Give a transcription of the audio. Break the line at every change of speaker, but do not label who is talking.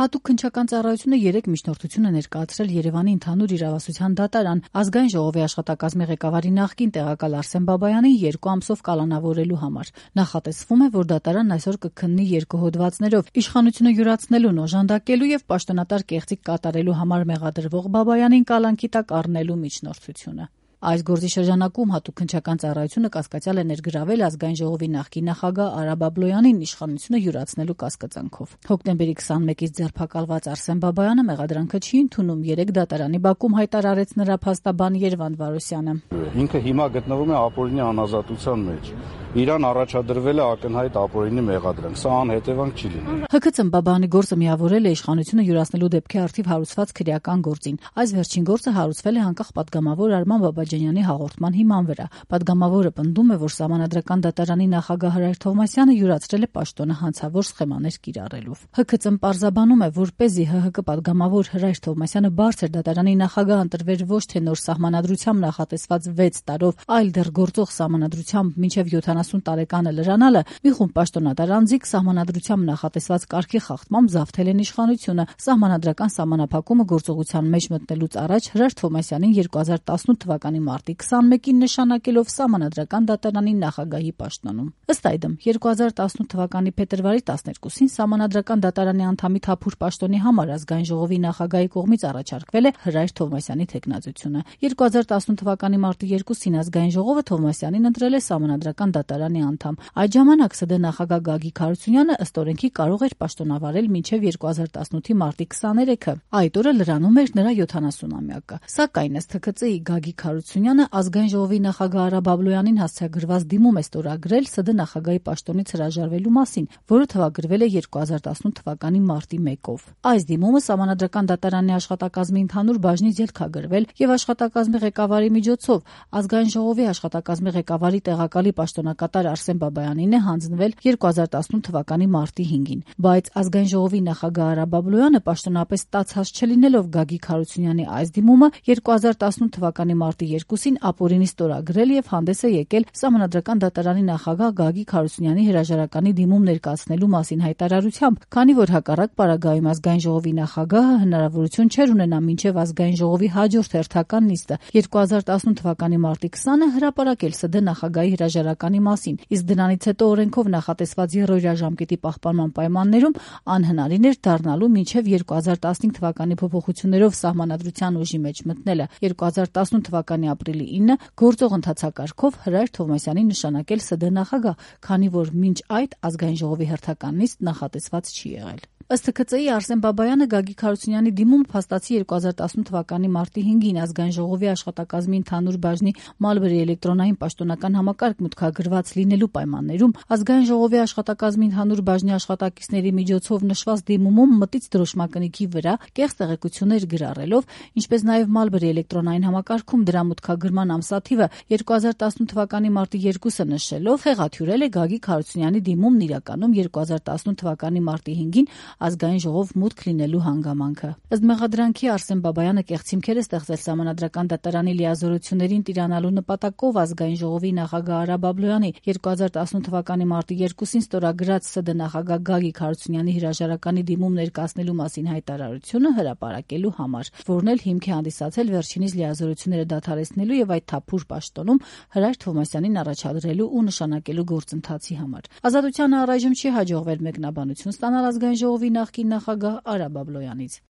Հատուկ քննչական ծառայությունը 3 միջնորդություն է ներկայացրել Երևանի ընդհանուր իրավասության դատարան Ազգային ժողովի աշխատակազմի ղեկավարի նախկին տեղակալ Արսեն Բաբայանին 2 ամսով կալանավորելու համար։ Նախատեսվում է, որ դատարանն այսօր կքննի 2 հոդվածներով իշխանությունը յուրացնելուն օժանդակելու եւ պաշտոնատար կեղծիք կատարելու համար մեղադրվող Բաբայանին կալանքի տակ առնելու միջնորդությունը։ Այս գործի շրջանակում հատուկ քննչական ծառայությունը կասկածյալ է ներգրավել Ազգային ժողովի նախկին նախագահ Արա Բաբլոյանին իշխանությունը յուրացնելու կասկածանքով։ Հոկտեմբերի 21-ից ձերբակալված Արսեն Բաբայանը մեղադրանքը չի ընդունում, 3 դատարանի բակում հայտարարեց նրա փաստաբան Երվանդ Վարոսյանը։
Ինքը հիմա գտնվում է ապօրինի անազատության մեջ։ Իրան առաջադրվել է ակնհայտ ապօրինի մեղադրանք, սա անհետևանք չի լինի։
ՀՔՑ-ն Բաբայանի գործը միավորել է իշխանությունը յուրացնելու դեպքի առթիվ հարուցված քրեական գործին։ Այս վերջին գործը հարուցվել է անկախ պատգամավոր Արման Բաբաջանյանի հաղորդման հիման վրա։ Պատգամավորը պնդում է, որ Սահմանադրական դատարանի նախագահ Հրայր Թովմասյանը յուրացրել է պաշտոնը հանցավոր սխեմաներ կիրառելով։ ՀՔՑ-ն պարզաբանում է, որպեսզի ՀՀԿ պատգամավոր Հրայր Թովմասյանը բարձր դատարանի նախագահ ընտրվեր ոչ թե նոր սահմանադրությամբ նախատեսված 6 տարով, այլ դեռ գործող սահմանադրությամբ մինչև 70 տարեկանը լրանալը, մի խումբ պաշտոնատար անձիկ սահմանադրությամբ նախատեսված կարգի խախտմամբ զավթել են իշխանությունը։ Սահմանադրական սահմանափակումը գործողության մեջ մտնելուց առաջ Հրայր Թովմասյանին 2018 թվականի մարտի 21-ին նշանակելով Սահմանադրական դատարանի նախագահի պաշտոնում։ Ըստ այդմ 2018 թվականի փետրվարի 12-ին Սահմանադրական դատարանի անդամի թափուր պաշտոնի համար Ազգային ժողովի նախագահի կողմից առաջարկվել է Հրայր Թովմասյանի թեկնածությունը։ 2018 թվականի մարտի 2-ին Ազգային ժողովը Թովմասյանին ընտրել է Սահմանադրական դատարանի անդամ։ Այդ ժամանակ ՍԴ նախագահ Գագիկ Հարությունյանը ըստ օրենքի կարող էր պաշտոնավարել մինչև 2018-ի մարտի 23-ը։ Այդ օրը լրանում էր նրա 70-ամյակը։ Սակայն ըստ ՀՔԾ-ի Գագիկ Հարությունյանը Ազգային ժողովի նախագահ Արա Բաբլոյանին հասցեագրված դիմում է ստորագրել ՍԴ նախագահի պաշտոնից հրաժարվելու մասին, որը թվագրվել է 2018 թվականի մարտի 1-ով։ Այս դիմումը Սահմանադրական դատարանի աշխատակազմի ընդհանուր բաժնից ելքագրվել եւ աշխատակազմի ղեկավարի միջոցով Ազգային ժողովի աշխատակազմի ղեկավարի տեղակալի պաշտոնակատար Արսեն Բաբայանին է հանձնվել 2018 թվականի մարտի 5-ին, բայց Ազգային ժողովի նախագահ Արա Բաբլոյանը պաշտոնապես ստացած չլինելով Գագիկ Հարությունյանի այս դիմումը 2018 թվականի մարտի 2-ին ապօրինի ստորագրել եւ հանդես է եկել Սահմանադրական դատարանի նախագահ Գագիկ Հարությունյանի հրաժարականի դիմում ներկայացնելու մասին հայտարարությամբ, քանի որ հակառակ պարագայում Ազգային ժողովի նախագահը հնարավորություն չէր ունենա մինչև Ազգային ժողովի հաջորդ հերթական նիստը 2018 թվականի մարտի 20-ը հրապարակել ՍԴ նախագահի հրաժարականի մասին, իսկ դրանից հետո օրենքով նախատեսված երրորդյա ժամկետի պահպանման պայմաններում անհնարին էր դառնալու մինչև 2015 թվականի փոփոխություններով Սահմանադրության ուժի մեջ մտնելը 2018 թվականի ապրիլի 9-ը գործող ընթացակարգով Հրայր Թովմասյանին նշանակել ՍԴ նախագահ, քանի որ մինչ այդ Ազգային ժողովի հերթական նիստ նախատեսված չի եղել։ Ըստ ՀՔԾ-ի Արսեն Բաբայանը Գագիկ Հարությունյանի դիմումը փաստացի 2018 թվականի մարտի 5-ին Ազգային ժողովի աշխատակազմի ընդհանուր բաժնի Մալբերի էլեկտրոնային պաշտոնական համակարգ մուտքագրված լինելու պայմաններում Ազգային ժողովի աշխատակազմի ընդհանուր բաժնի աշխատակիցների միջոցով նշված դիմումում մտից դրոշմակնիկի վրա կեղծ տեղեկություններ գրառելով, ինչպես նաև Մալբերի էլեկտրոնային համակարգում դրա մուտքագրման ամսաթիվը 2018 թվականի մարտի 2-ը նշելով խեղաթյուրել է Գագիկ Հարությունյանի դիմումն իրականում 2018 թվականի մարտի 5-ին Ազգային ժողով մուտք լինելու հանգամանքը։ Ըստ մեղադրանքի Արսեն Բաբայանը կեղծ հիմքեր է ստեղծել Սահմանադրական դատարանի լիազորություններին տիրանալու նպատակով Ազգային ժողովի նախագահ Արա Բաբլոյանի 2018 թվականի մարտի 2-ին ստորագրած ՍԴ նախագահ Գագիկ Հարությունյանի հրաժարականի դիմում ներկայացնելու մասին հայտարարությունը հրապարակելու համար, որն էլ հիմք է հանդիսացել վերջինիս լիազորությունները դադարեցնելու եւ այդ թափուր պաշտոնում Հրայր Թովմասյանին առաջադրելու ու նշանակելու գործընթացի համար։ Ազատությանը առայժմ չի հաջողվել մեկնաբանություն ստանալ Ազգային ժողովի նախկին նախագահ Արա Բաբլոյանից։